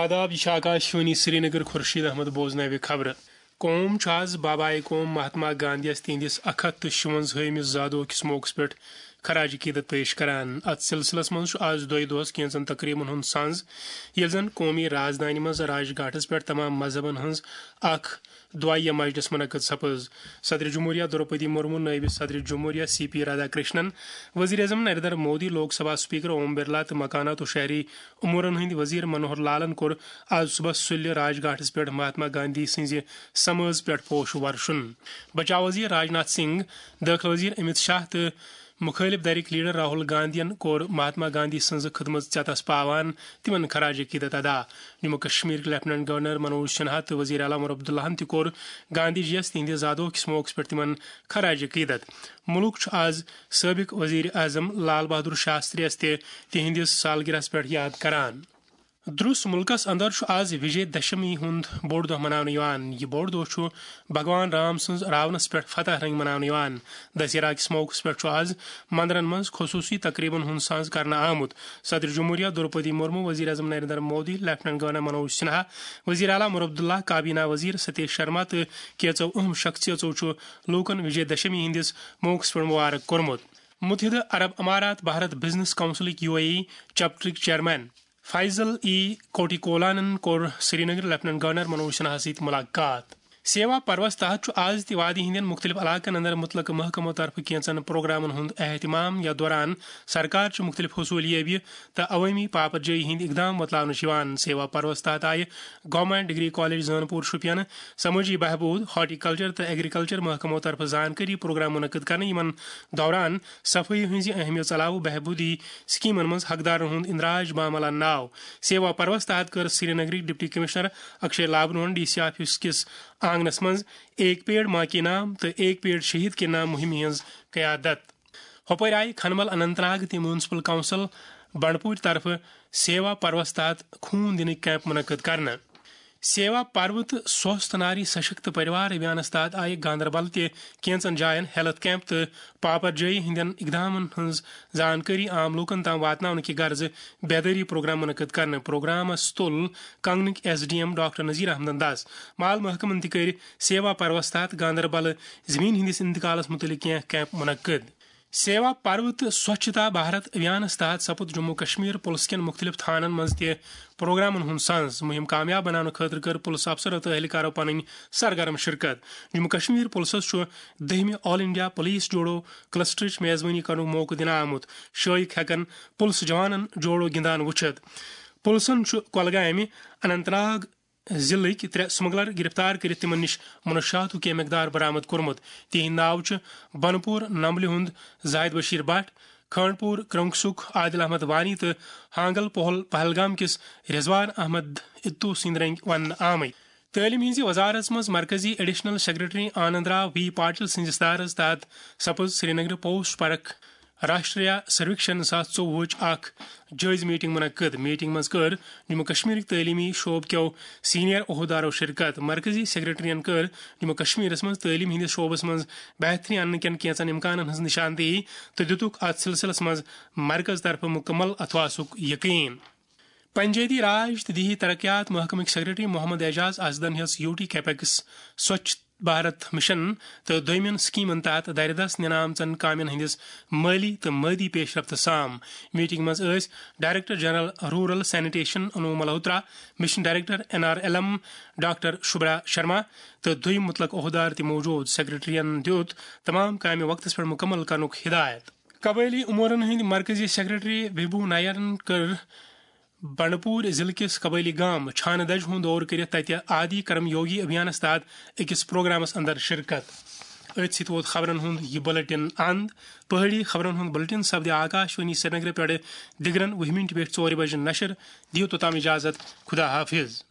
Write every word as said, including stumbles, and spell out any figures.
آداب، یہِ چھِ آکاش وانی سرینگر۔ خورشید احمد بوزناوِ خبرٕ۔ قوم چھُ آز بابائے قوم مہاتما گاندھی یَس تِہنٛدِس اکھ ہتھ تہٕ شُونٛزاہمِس زادوہ کِس موقعس پٮ۪ٹھ خراج عقیدت پیش کران۔ اتھ سلسلس منٛز چھُ آز دۄیہِ دۄہس کینٛژن تقریبن ہُنٛد سنز، ییٚلہِ زن قومی رازدانہِ منٛز راج گھاٹس پٮ۪ٹھ تمام مذہبن ہٕنٛز اکھ دعائیہ مجلس منعقد سپٕز۔ صدر جمہوریہ دروپدی مرمو، نائب صدر جمہوریہ سی پی رادھا کرشنن، وزیر اعظم نریندر مودی، لوک سبھا سپیکر اوم برلا تہٕ مکانات و شہری امورن ہٕنٛدۍ وزیر منوہر لالن کوٚر آز صبحس سُلہِ راج گھاٹس پٮ۪ٹھ مہاتما گاندھی سٕنٛزِ سمٲژ پٮ۪ٹھ پوش ورشُن۔ بچاو وزیر راجناتھ سنگھ، دٲخلہٕ وزیر امت شاہ تہٕ مخٲلف دھرٕکۍ لیڈر راہل گاندھین کوٚر مہاتما گاندھی سٕنٛزٕ خدمژ ژیتس پاوان تِمن خراج عقیدت ادا۔ جموں کشمیرٕکۍ لیفٹیننٹ گورنر منوج سنہا تہٕ وزیر اعلیٰ عمر عبداللہن تہِ کوٚر گاندھی جی یس تِہنٛدِ زادوہ کِس موقعس پٮ۪ٹھ تِمن خراج عقیدت۔ مُلک چھُ آز سٲبق وزیر اعظم لال بہادر شاستری یس تہِ تِہنٛدِس سالگرہس پٮ۪ٹھ یاد کران۔ درس مُلکس اندر چھُ آز وجے دشمی ہُنٛد بوٚڑ دۄہ مناونہٕ یِوان۔ یہِ بوٚڑ دۄہ چھُ بھگوان رام سٕنٛز راونس پٮ۪ٹھ فتح رنگۍ مناونہٕ یِوان۔ دسہرہ کِس موقعس پٮ۪ٹھ چھُ آز مندرن منٛز خصوٗصی تقریبن ہُنٛد ساز کرنہٕ آمُت۔ صدر جمہوریہ دروپدی مرمو، وزیر اعظم نریندر مودی، لیفٹیننٹ گورنر منوج سنہا، وزیر اعلیٰ عمر عبداللہ، کابینہ وزیر ستیش شرما تہٕ کینٛژو اہم شخصیژو چھُ لوٗکن وجے دشمی ہٕنٛدِس موقعس پٮ۪ٹھ مبارک کوٚرمُت۔ متحدہ عرب امارات بھارت بزنس کونسلٕکۍ یو اے ای چیپٹرٕکۍ چیئرمین فیصل ای کوٹی کولانن کوٚر سرینگر لیفٹیننٹ گورنر منوج سنہاہس سۭتۍ ملاقات۔ سیوا پروس تحت چھُ آز تہِ وادی ہٕنٛدٮ۪ن مُختٔلِف علاقن اندر مُتعلقہٕ محکمو طرفہٕ کینٛژن پروگرامن ہُنٛد اہتمام، یتھ دوران سرکار چھِ مُختٔلِف حصوٗلیٲبی تہٕ عوٲمی پاپرجٲیی ہٕنٛدۍ اقدام وۄتلاونہٕ چھِ یِوان۔ سیوا پروس تحت آیہِ گورنمنٹ ڈگری کالج زٲنپوٗر شُپین سمٲجی بہبوٗد، ہارٹیکلچر تہٕ ایگریکلچر محکمو طرفہٕ زانکٲری پروگرام منعقد کرنہٕ۔ یِمن دوران صفٲیی ہٕنٛزِ اہمیت علاوٕ بہبوٗدی سکیمن منٛز حقدارن ہُنٛد اندراج بامل اننہٕ آو۔ سیوا پروس تحت کٔر سرینگرٕکۍ ڈپٹی کمشنر اکشے لابنون ڈی سی آفس کِس آنگنس منٛز ایک پیڑ ماں کے نام تہٕ ایک پیڑ شہید کے نام مُہِمہِ ہٕنٛز قیادت۔ ہۄپٲرۍ آیہِ کھنمل اننت ناگ تہٕ میونسپل کونسل بنڈپوٗرۍ طرفہٕ سیوا پروس تحت خوٗن دِنٕکۍ کیمپ منعقد کرنہٕ۔ سیوا پرو تہٕ سوستھ ناری سشکت پریوار ابھیانس تحت آیہِ گاندربل تہِ کینژن جاین ہیلتھ کیمپ تہٕ پاپر جٲیی ہٕنٛدٮ۪ن اقدامن ہٕنٛز زانکٲری عام لوٗکن تام واتناونہٕ کہِ غرضہٕ بیدٲری پروگرام منعقد کرنہٕ۔ پروگرامس تُل کنگنٕکۍ S D M doctor Nazir احمدن دس۔ مال محکمن تہِ کٔرۍ سیوا پروس تحت گاندربل زمین ہٕنٛدِس انتقالس مُتعلق کینٛہہ کیمپ منعقد۔ سیوا پرو تہٕ سوچھتا بھارت ابھیانس تحت سپُد جموں کشمیر پُلس کٮ۪ن مُختٔلِف تھانن منٛز تہِ پروگرامن ہُنٛد سنز۔ مُہِم کامیاب بناونہٕ خٲطرٕ کٔر پُلس افسر تہٕ اہلکارو پنٕنۍ سرگرم شرکت۔ جموں کشمیر پُلسس چھُ دٔہمہِ آل انڈیا پُلیس جوڈو کلسٹرٕچ میزبٲنی کرنُک موقعہٕ دِنہٕ آمُت۔ شٲیِق ہٮ۪کن پُلس جوانن جوڈو گِنٛدان وٕچھِتھ۔ پُلسن چھُ کۄلگامہِ، اننت ناگ، ضلعٕکۍ ترٛےٚ سمگلر گرفتار کٔرِتھ تِمن نِش منشیاتُک کینٛہہ مقدار برآمد کوٚرمُت۔ تِہنٛدۍ ناو چھِ بنپور نمبلہِ ہُنٛد زاہد بشیر بٹ، کھنڈپور کرنگسُک عادل احمد وانی تہٕ ہانگل پہل پہلگام کِس رضوان احمد اتو سٕنٛدۍ رنگۍ وننہٕ آمٕتۍ۔ تعلیم ہٕنٛزِ وزارتس منٛز مرکزی additional secretary Anand Rao V Patil سٕنٛزِ صدارتس تحت سپٕز سرینگرٕ پوسٹ پرکھ راشٹریہ سرویکشن زٕ ساس ژوٚوُہٕچ اکھ جٲیزٕ میٹنگ منعقد۔ میٹنگ منٛز کٔر جموں کشمیرٕکۍ تعلیمی شعبہٕ کٮ۪و سینئر عہدیدارو شرکت۔ مرکزی سیکرٹریَن کٔر جموں کشمیرس منٛز تعلیٖم ہٕنٛدِس شعبس منٛز بہتری اننہٕ کٮ۪ن کینٛژن امکانن ہٕنٛز نشاندہی تہٕ دِتُکھ اتھ سلسلس منٛز مرکز طرفہٕ مکمل اتھواسُک یقین۔ پنچایتی راج تہٕ دیہی ترقیات محکمٕکۍ سیکرٹری محمد اعجاز اسدن ہیٚژ U T capex Swachh Bharat mission تہٕ دوٚیمٮ۪ن سکیمن تحت دَرِ دَس نِنہٕ آمژن کامٮ۪ن ہٕنٛدِس مٲلی تہٕ مٲدی پیش رفت سام۔ میٹنگ منٛز ٲسۍ director general rural sanitation Anu Malhotra, mission director N R L M doctor Shubhra Sharma تہٕ دوٚیم متعلق عہدار تہِ موجود۔ سیکرٹریَن دیُت تمام کامہِ وقتس پٮ۪ٹھ مکمل کرنُک ہدایت۔ قبٲئلی امورن ہٕنٛدۍ مرکزی سیکرٹری وبھو نایرن کٔر بنڈپور ضلعہٕ کِس قبٲئلی گام چھانہٕ دَجہِ ہُنٛد دورٕ کٔرِتھ تَتہِ آدی کرم یوگی ابھیانس تحت أکِس پروگرامس اندر شرکت۔ أتھۍ سۭتۍ ووت خبرن ہُنٛد یہِ بلیٹن اند۔ پہٲڑی خبرن ہُنٛد بلیٹن سپدِ آکاش وانی سرینگرٕ پٮ۪ٹھٕ دِگرن وُہہِ مِنٹہِ پٮ۪ٹھ ژورِ بجہِ نشر۔ دِیِو توٚتام اجازت۔ خدا حافظ۔